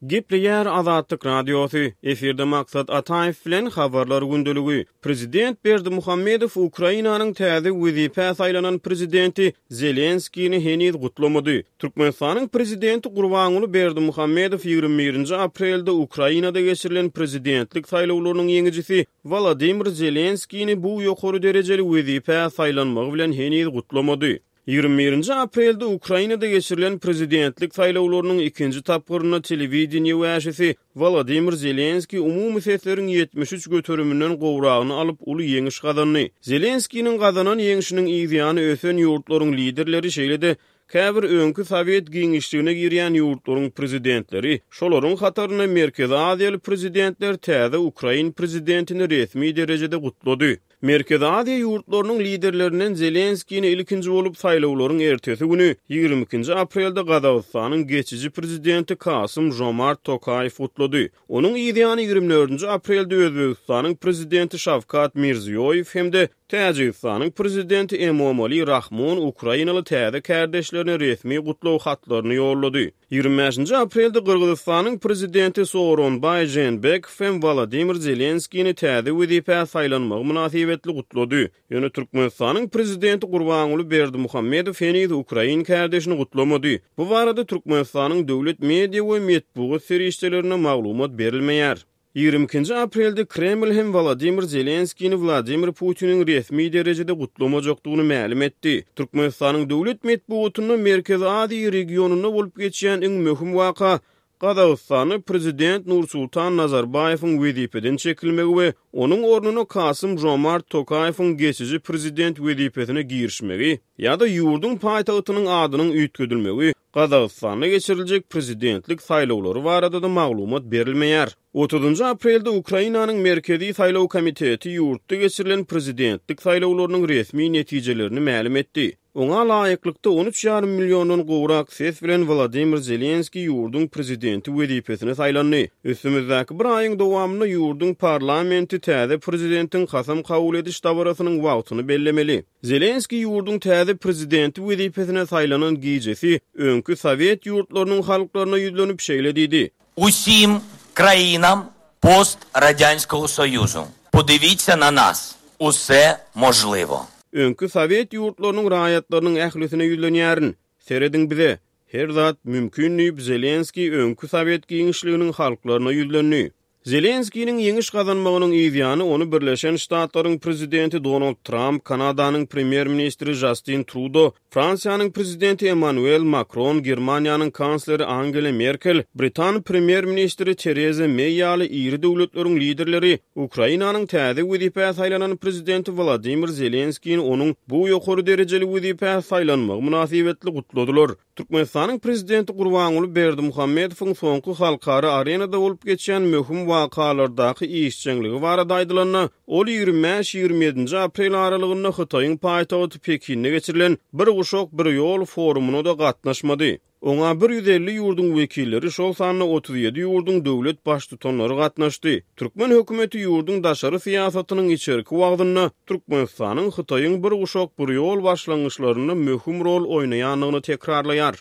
Gepleýär Azatlyk Radiosy, efirde Maksat Ataýew bilen Habarlar gündeligi. Prezident Berdimuhamedow Ukrainanyň täze wezipä saýlanan prezidenti Zelenskini heniz gutlamady. Türkmenistanyň prezidenti Gurbanguly Berdimuhamedow 21-nji aprelde Ukrainada geçirilen prezidentlik saýlawlarynyň ýeňijisi Wolodymyr Zelenskini bu ýokary derejeli wezipä saýlanmagy bilen heniz gutlamady. 21-nji aprelde Ukrainada geçirilen prezidentlik saýlawlarynyň ikinji tapgyrynda telewideniýe wäşisi Wolodymyr Zelenskiý umumy sesleriň 73 göteriminden gowragyny alyp, uly ýeňiş gazandy. Zelenskiniň gazanan ýeňşiniň yzýany ösen ýurtlaryň liderleri, şeýle-de käbir öňki sowet giňişligine girýän ýurtlaryň prezidentleri, şolaryň hatarynda merkezi aziýaly prezidentler täze ukrain prezidentini resmi derejede gutlady. Merkezi Aziýa ýurtlarynyň liderlerinden Zelenskini ilkinji bolup saýlawlaryň ertesi güni, 22-nji aprelde Gazagystanyň geçiji prezidenti Kasym Žomart Tokaýew gutlady. Onuň yzýany 24-nji aprelde Özbegistanyň prezidenti Şawkat Mirziýoýew hem-de Täjigistanyň prezidenti Emomali Rahmon ukrainaly täze kärdeşlerine resmi gutlag hatlaryny ýollady. 25-nji aprelde Gyrgyzystanyň prezidenti Sooronbaý Žeenbekow hem Wolodymyr Zelenskini täze wezipä saýlanmagy mynasybetli gutlady. Ýöne Türkmenistanyň prezidenti Gurbanguly Berdimuhamedow heniz ukrain kärdeşini gutlamady. Bu barada Türkmenistanyň döwlet media we metbugat serişdelerinde maglumat berilmeýär. 22-nji aprelde Kreml hem Wolodymyr Zelenskini Wladimir Putiniň resmi derejede gutlamajakdygyny mälim etdi. Türkmenistanyň döwlet metbugatynda Merkezi Aziýa regionynda bolup geçýän iň möhüm waka Gazagystanda prezident Nursultan Nazarbaýewiň wezipeden çekilmegi we onuň ornuna Kasym Žomart Tokaýewiň geçiji prezident wezipesine girişmegi ýa-da ýurduň paýtagtynyň adynyň üýtgedilmegi Gazagystanda geçiriljek prezidentlik saýlawlary barada-da maglumat berilmeýär. Otuzynjy aprelde Ukrainanyň Merkezi saýlaw komiteti ýurtda geçirilen prezidentlik saýlawlarynyň resmi netijelerini mälim etdi. Oňa laýyklykda, on üç ýarym milliondan gowrak ses bilen Wladimir Zelenskiý ýurduň prezidenti wezipesine saýlandy. Üstümizdäki bir aýyň dowamynda ýurduň parlamenti täze prezidentiň kasam kabul ediş dabarasynyň wagtyny bellemeli. Zelenskiý ýurduň täze prezidenti wezipesine saýlanan gijesi öňki sowet ýurtlarynyň halklaryna ýüzlenip şeýle diýdi. Usim krainam post-radyanskogo soýuzu, podivitsia na nas, use možliwo. Öňki sowet ýurtlarynyň raýatlarynyň ählisine ýüzlenýärin, serediň bize, her zat mümkin diýip, Zelenskiý öňki sowet giňişliginiň halklaryna ýüzlendi. Zelenskiniň ýeňiş gazanmagynyň yzýany ony Birleşen Ştatlaryň prezidenti Donald Tramp, Kanadanyň premýer-ministri Žastin Trudo, Fransiýanyň prezidenti Emmanuel Makron, Germaniýanyň kansleri Angela Merkel, britan premýer-ministri Tereza Meý ýaly iri döwletleriň liderleri Ukrainanyň täze wezipä saýlanan prezidenti Wladimir Zelenskini onuň bu ýokary derejeli wezipä saýlanmagy mynasybetli gutladylar. Türkmenistanyň Prezidenti Gurbanguly Berdimuhamedowyň soňky halkara arenada bolup geçýän möhüm wakalardaky işjeňligi barada aýdylanda, ol 25-27-nji aprel aralygynda Hytaýyň paýtagty Pekinde geçirilen Bir guşak, bir ýol forumyna-da gatnaşmady. Oňa 150 ýurduň wekilleri, şol sanda 37 ýurduň döwlet Baştutanlary gatnaşdy. Türkmen hökümeti ýurduň daşary syýasatynyň içerki wagzynda Türkmenistanyň Hytaýyň Bir guşak, bir ýol başlangyçlarynda möhüm rol oýnaýandygyny tekrarlaýar.